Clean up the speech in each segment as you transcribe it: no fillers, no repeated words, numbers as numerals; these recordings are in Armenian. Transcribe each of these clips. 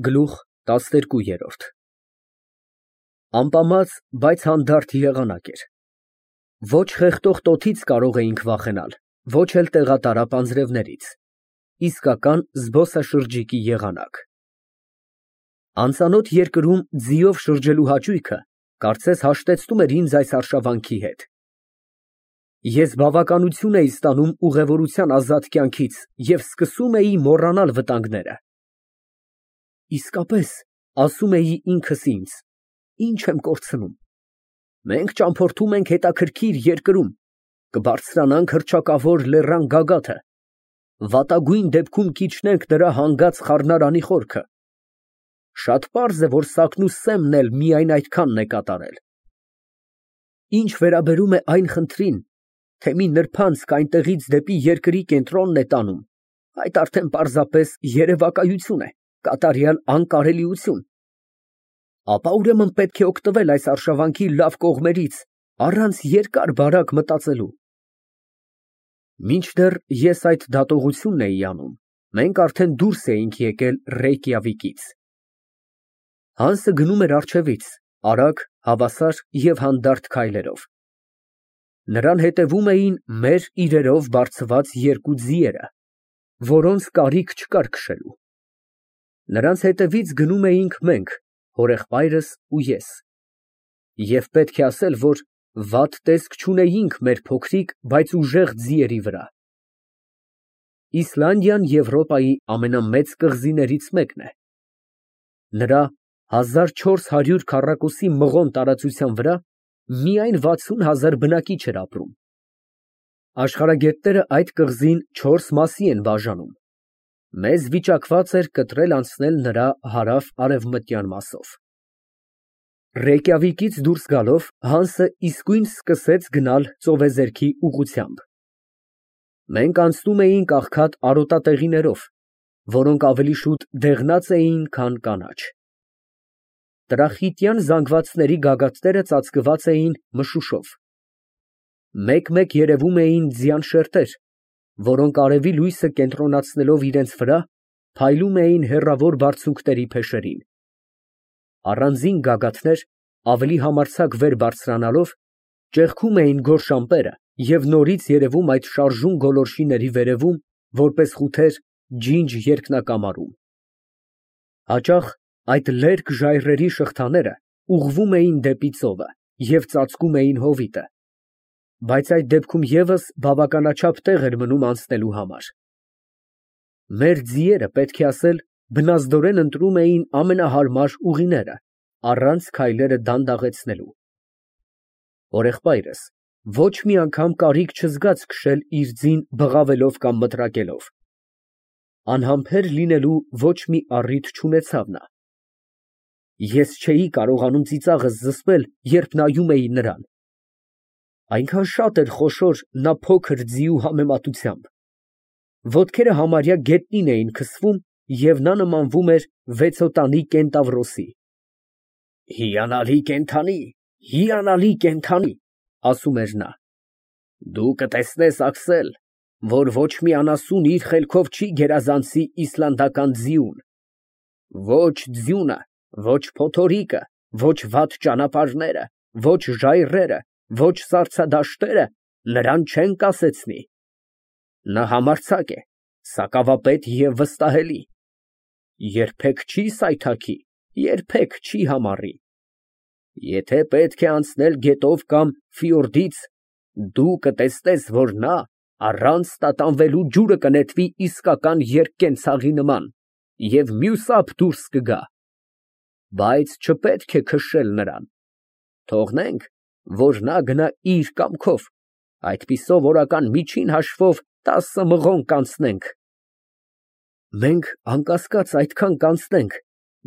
Գլուխ 12 Ամպամած, բայց հանդարտ եղանակ էր։ Ոչ խեղդող տոթից կարող էինք վախենալ, ոչ էլ տեղատարապ անձրևներից, իսկական զբոսաշրջիկի եղանակ։ Անծանոթ երկրում ձիով շրջելու հաճույքը կարծես հաշտեցնում էր ինձ այս արշավանքի հետ։ Ես բավականություն էի ստանում ուղևորության ազատ կյանքից և սկսում էի մոռանալ վտանգները։ Իսկապես, ասում էի ինքս ինձ, ինչ եմ կորցնում։ Մենք ճամփորդում ենք հետաքրքիր երկրում, կբարձրանանք հռչակավոր լեռան գագաթը, վատագույն դեպքում կիջնենք նրա հանգած խառնարանի խորքը։ Շատ պարզ է, որ Սակնուս Սեմն էլ միայն այդքանն է կատարել։ Ինչ վերաբերում է այն խնդրին, թե մի նրբանցք այնտեղից դեպի երկրի կենտրոնն է տանում, այդ արդեն պարզապես երևակայություն է, կատարյալ անկարելիություն։ Ապա ուրեմն պետք է օգտվել այս արշավանքի լավ կողմերից, առանց երկար֊բարակ մտածելու։ Մինչդեռ ես այդ դատողությունն էի անում, մենք արդեն դուրս էինք եկել Ռեյկյավիկից։ Հանսը գնում էր առջևից, արագ, հավասար և հանդարտ քայլերով։ Նրան հետևում էին մեր իրերով բարձված երկու ձիերը, որոնց կարիք չկար քշելու։ Նրանց հետևից գնում էինք մենք, հորեղբայրս ու ես։ Եվ պետք է ասել, որ վատ տեսք չունեինք մեր փոքրիկ, բայց ուժեղ ձիերի վրա։ Իսլանդիան Եվրոպայի ամենամեծ կղզիներից մեկն է։ Նրա 1400 քառակուսի մղոն տարածության վրա միայն 60,000 բնակիչ էր ապրում։ Աշխարհագետները այդ կղզին 4 մասի են բաժանում։ Մեզ վիճակված էր կտրել անցնել նրա հարավ֊արևմտյան մասով։ Ռեյկյավիկից դուրս գալով Հանսը իսկույն սկսեց գնալ ծովեզերքի ուղղությամբ։ Մենք անցնում էինք աղքատ արոտատեղիներով, որոնք ավելի շուտ դեղնած էին, քան կանաչ։ Տրախիտյան զանգվածների գագաթները ծածկված էին մշուշով։ Մեկ-մեկ երևում էին ձյան շերտեր, որոնք արևի լույսը կենտրոնացնելով իրենց վրա, փայլում էին հեռավոր բարձունքների փեշերին։ Առանձին գագաթներ, ավելի համարձակ վեր բարձրանալով, ճեղքում էին գորշ ամպերը և նորից երևում այդ շարժուն գոլորշիների վերևում, որպես խութեր ջինջ երկնակամարում։ Հաճախ այդ լերկ ժայռերի շղթաները ուղղվում էին դեպի ծովը և ծածկում էին հովիտը, բայց այդ դեպքում ևս բավականաչափ տեղ էր մնում անցնելու համար։ Մեր ձիերը, պետք է ասել, բնազդորեն ընտրում էին ամենահարմար ուղիները, առանց քայլերը դանդաղեցնելու։ Հորեղբայրս ոչ մի անգամ կարիք չզգաց քշել իր ձին բղավելով կամ մտրակելով։ Անհամբեր լինելու ոչ մի առիթ չունեցավ նա։ Ես չէի կարողանում ծիծաղս զսպել, երբ նայում էի նրան։ Այնքան շատ էր խոշոր նա փոքր ձիու համեմատությամբ։ Ոտքերը համարյա գետնին էին քսվում, և նա նմանվում էր վեցոտանի կենտավրոսի։ Հիանալի կենդանի, հիանալի կենդանի, ասում էր նա։ Դու կտեսնես, Աքսել, որ ոչ մի անասուն իր խելքով չի գերազանցի իսլանդական ձիուն։ Ոչ ձյունը, ոչ փոթորիկը, ոչ վատ ճանապարհները, ոչ ժայռերը, ոչ սառցադաշտերը նրան չեն կասեցնի։ Նա համարձակ է, սակավապետ և վստահելի։ Երբեք չի սայթաքի, երբեք չի համառի։ Եթե պետք է անցնել գետով կամ ֆիորդից, դու կտեսնես, որ նա առանց տատանվելու ջուրը կնետվի իսկական երկկենցաղի նման և մյուսափ դուրս կգա։ Բայց չպետք է քշել նրան։ Թողնենք, որ նա գնա իր կամքով, այդպիսով օրական միջին հաշվով 10 մղոն կանցնենք։ Մենք անկասկած այդքան կանցնենք,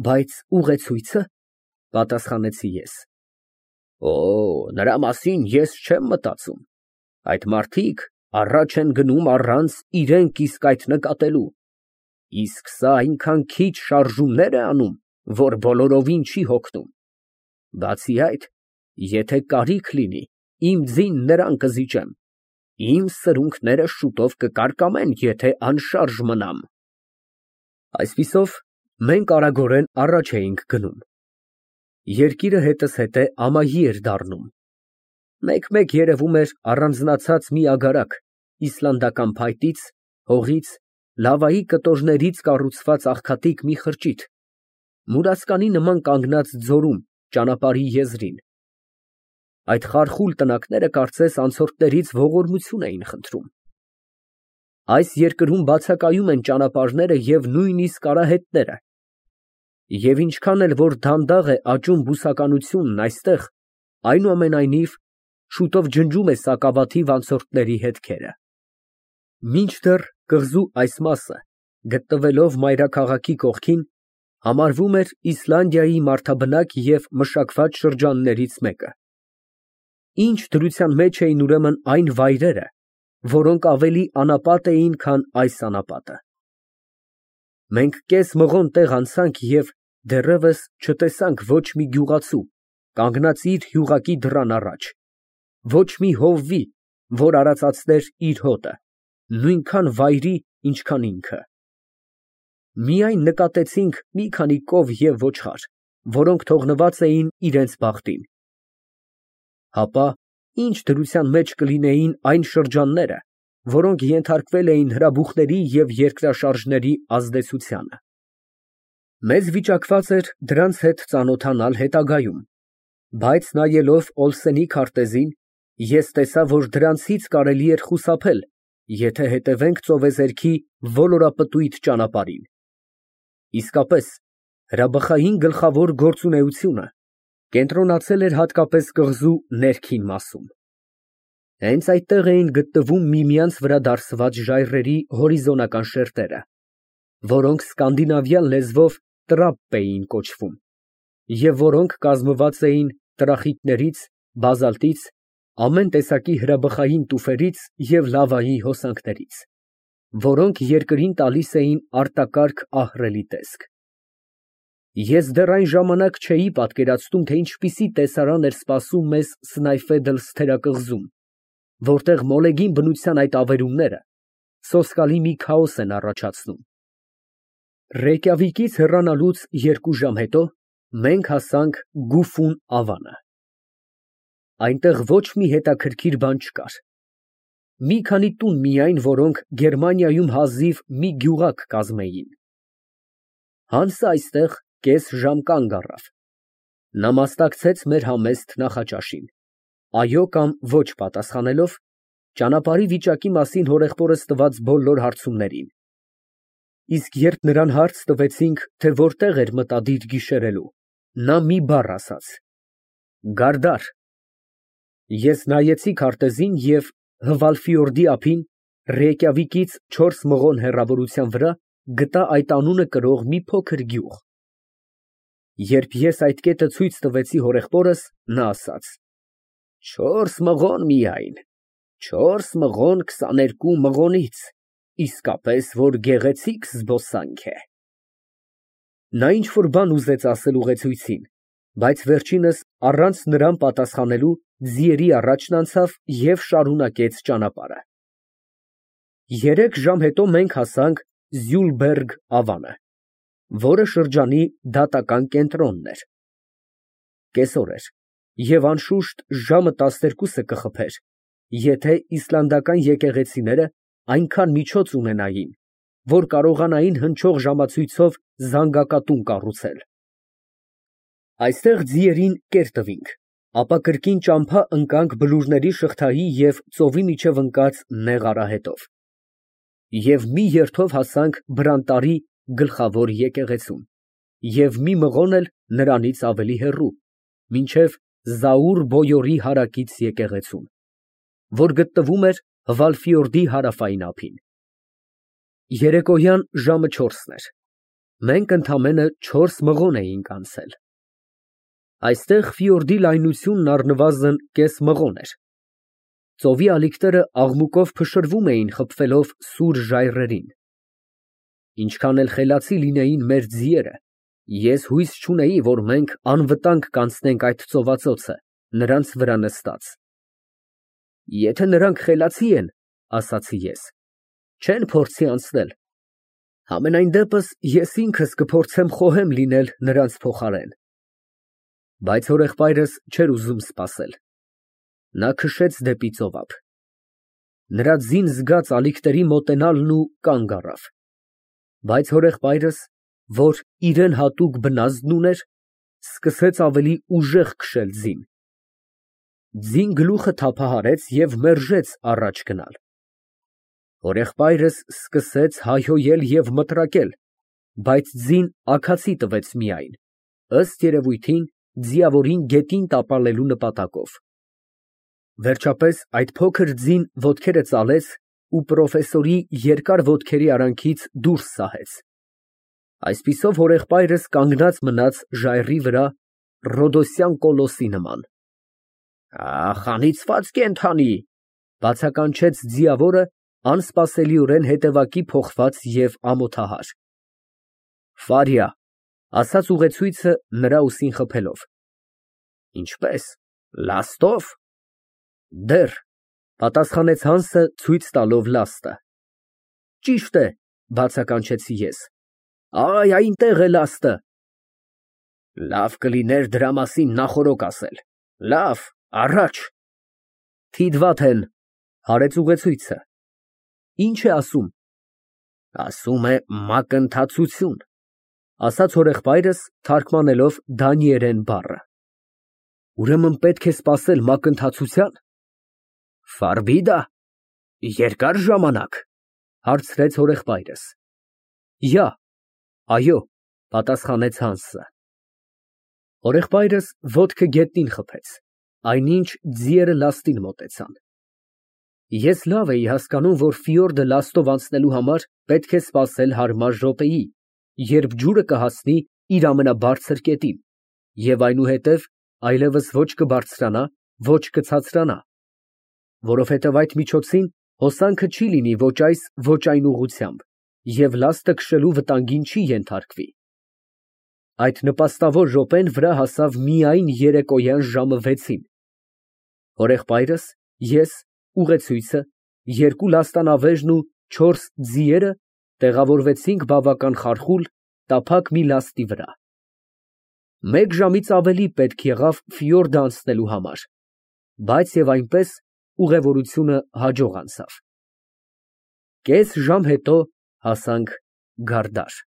բայց ուղեցույցը, պատասխանեցի ես։ Օ, նրա մասին ես չեմ մտածում։ Այդ մարդիկ առաջ են գնում առանց իրենք իսկ այդ նկատելու։ Իսկ սա այնքան քիչ շարժումներ է անում, որ բոլորովին չի հոգնում։ Բացի այդ, եթե կարիք լինի, իմ ձին նրան կզիջեմ։ Իմ սրունքները շուտով կկարկամեն, եթե անշարժ մնամ։ Այսպիսով, Մենք արագորեն առաջ էինք գնում։ Երկիրը հետս հետե ամայի էր դառնում։ Մեկ-մեկ երևում էր առանձնացած մի ագարակ իսլանդական փայտից, հողից, լավայի կտորներից կառուցված աղքատիկ մի խրճիթ, մուրացկանի նման կանգնած ձորում, ճանապարհի եզրին։ Այդ խարխուլ տնակները կարծես անցորդներից ողորմություն էին խնդրում։ Այս երկրում բացակայում են ճանապարհները և նույնիսկ արահետները, և ինչքան էլ որ դանդաղ է աճում բուսականությունն այստեղ, այնուամենայնիվ շուտով ջնջում է սակավաթիվ անցորդների հետքերը։ Մինչդեռ կղզու այս մասը, գտնվելով մայրաքաղաքի կողքին, համարվում էր Իսլանդիայի մարդաբնակ և մշակված շրջաններից մեկը։ Ինչ դրության մեջ էին ուրեմն այն վայրերը, որոնք ավելի անապատ էին, քան այս անապատը։ Մենք կես մղոն տեղ անցանք և դեռևս չտեսանք ոչ մի գյուղացու, կանգնած իր յուղակի դռան առաջ, ոչ մի հովվի, որ արածացներ իր հոտը, նույնքան վայրի, ինչքան ինքը։ Միայն նկատեցինք մի քանի կով և ոչխար, որոնք թողնված էին իրենց բախտին։ Հապա ինչ դրության մեջ կլինեին այն շրջանները, որոնք ենթարկվել էին հրաբուխների և երկրաշարժների ազդեցությանը։ Մեզ վիճակված էր դրանց հետ ծանոթանալ հետագայում, բայց նայելով Օլսենի քարտեզին, ես տեսա, որ դրանցից կարելի էր խուսափել, եթե հետևենք ծովեզերքի ոլորապտույտ ճանապարհին։ Իսկապես, հրաբխային գլխավոր գործունեությունը կենտրոնացել էր հատկապես կղզու ներքին մասում։ Հենց այդտեղ էին գտնվում միմյանց վրա դարսված ժայռերի հորիզոնական շերտերը, որոնք սկանդինավյան լեզվով տրապպ էին կոչվում, և որոնք կազմված էին տրախիտներից, բազալտից, ամեն տեսակի հրաբխային տուֆերից և լավայի հոսանքներից, որոնք երկրին տալիս էին արտակարգ ահռելի տեսք։ Ես դեռ այն ժամանակ չէի պատկերացնում, թե ինչպիսի տեսարան էր սպասում մեզ Սնայֆեդլ թերակղզում, որտեղ մոլեգին բնության այդ ավերումները սոսկալի մի քաոս են առաջացնում։ Ռեյկյավիկից հեռանալուց 2 ժամ հետո մենք հասանք Գուֆուն ավանը։ Այնտեղ ոչ մի հետաքրքիր բան չկար։ Մի քանի տուն միայն, որոնք Գերմանիայում հազիվ մի գյուղակ կազմեին։ Հանսը այստեղ կես ժամ կանգ առավ։ Նա մասնակցեց մեր համեստ նախաճաշին, այո կամ ոչ պատասխանելով, ճանապարհի վիճակի մասին հորեղբորս տված բոլոր հարցումներին։ Իսկ երբ նրան հարց տվեցինք, թե որտեղ էր մտադիր գիշերելու, նա մի բառ ասաց. «Գարդար»։ Ես նայեցի քարտեզին և Հվալֆյորդի ափին, Ռեյկյավիկից 4 մղոն հեռավորության վրա գտա այդ անունը կրող մի փոքր գյուղ։ Երբ ես այդ կետը ցույց տվեցի հորեղբորս, նա ասաց. 4 մղոն միայն, 4 մղոն 22 մղոնից, իսկապես որ գեղեցիկ զբոսանք է։ Նա ինչ֊որ բան ուզեց ասել ուղեկցին, բայց վերջինս առանց նրան պատասխանելու ձիերի առաջն անցավ և շարունակեց ճանապարհը։ 3 ժամ հետո մենք հասանք Զյուլբերգ ավանը, որը շրջանի դատական կենտրոնն էր։ Կեսօր էր, և անշուշտ ժամը 12-ը կխփեր, եթե իսլանդական եկեղեցիները այնքան միջոց ունենային, որ կարողանային հնչող ժամացույցով զանգակատուն կառուցել։ Այստեղ ձիերին կեր տվինք, ապա կրկին ճամփա ընկանք բլուրների շղթայի և ծովի միջև ընկած նեղ արահետով, և մի երթով հասանք Բրանտարի գլխավոր եկեղեցուն, և մի մղոն էլ նրանից ավելի հեռու, մինչև Զաուր Բոյորի հարակից եկեղեցուն, որ գտնվում էր Հվալֆյորդի հարավային ափին։ Երեկոյան ժամը 4-ն էր։ Մենք ընդամենը 4 մղոն էինք անցել։ Այստեղ ֆյորդի լայնությունն առնվազն կես մղոն էր։ Ծովի ալիքները աղմուկով փշրվում էին, խփվելով սուր ժայռերին։ Ինչքան էլ խելացի լինեին մեր ձիերը, ես հույս չունեի, որ մենք անվտանգ կանցնենք այդ ծովածոցը, նրանց վրա նստած։ Եթե նրանք խելացի են, ասացի ես, չեն փորձի անցնել։ Համենայն դեպս ես ինքս կփորձեմ խոհեմ լինել նրանց փոխարեն։ Բայց հորեղբայրս չէր ուզում սպասել։ Նա քշեց դեպի ծովափ։ Նրա ձին զգաց ալիքների մոտենալն ու կանգ առավ։ Բայց հորեղբայրս, որ իրան հատուկ բնազդն ուներ, սկսեց ավելի ուժեղ քշել ձին։ Ձին գլուխը թափահարեց և մերժեց առաջ գնալ։ Հորեղբայրս սկսեց հայհոյել և մտրակել, բայց ձին աքացի տվեց միայն, ըստ երևույթին, ձիավորին գետին տապալելու նպատակով։ Վերջապես այդ փոքր ձին ոտքերը ծալեց ու պրոֆեսորի երկար ոտքերի արանքից դուրս սահեց։ Այսպիսով հորեղբայրս կանգնած մնաց ժայռի վրա Ռոդոսյան կոլոսի նման։ Ախ, անիծված կենդանի, բացականչեց ձիավորը, անսպասելիորեն հետևակի փոխված և ամոթահար։ Ֆարիա, ասաց ուղեցույցը նրա ուսին խփելով։ Ինչպե՞ս, լաստո՞վ։ Դեռ, պատասխանեց Հանսը ցույց տալով լաստը։ Ճիշտ է, բացականչեցի ես։ Այ, այնտեղ է լաստը։ Լավ կլիներ դրա մասին նախօրոք ասել։ Լավ, առաջ։ Թիդվաթեն, հարեց ուղեցույցը։ Ինչ է ասում։ Ասում է մակընթացություն, ասաց հորեղբայրս, թարգմանելով դանիերեն բառը։ Ուրեմն պետք է սպասել մակընթացության։ Ֆարբիդա, երկար ժամանակ, հարցրեց հորեղբայրս։ Յա, այո, պատասխանեց Հանսը։ Հորեղբայրս ոտքը գետնին խփեց, այնինչ ձիերը լաստին մոտեցան։ Ես լավ էի հասկանում, որ ֆիորդը լաստով անցնելու համար պետք է սպասել հարմար րոպեի, երբ ջուրը կհասնի իր ամենաբարձր կետին, և այնուհետև այլևս ոչ կբարձրանա, ոչ կցածրանա, որովհետև այդ միջոցին հոսանքը չի լինի ոչ այս, ոչ այն ուղղությամբ, և լաստը քշելու վտանգին չի ենթարկվի։ Այդ նպաստավոր րոպեն վրա հասավ միայն երեկոյան ժամը 6-ին։ Հորեղբայրս, ես, ուղեցույցը, երկու լաստանավերն ու 4 ձիերը տեղավորվեցինք բավական խարխուլ, տափակ մի լաստի վրա։ Մեկ ժամից ավելի պետք եղավ ֆիորդը անցնելու համար, բայց և այնպես ուղևորությունը հաջող անցավ։ Կես ժամ հետո հասանք Գարդար։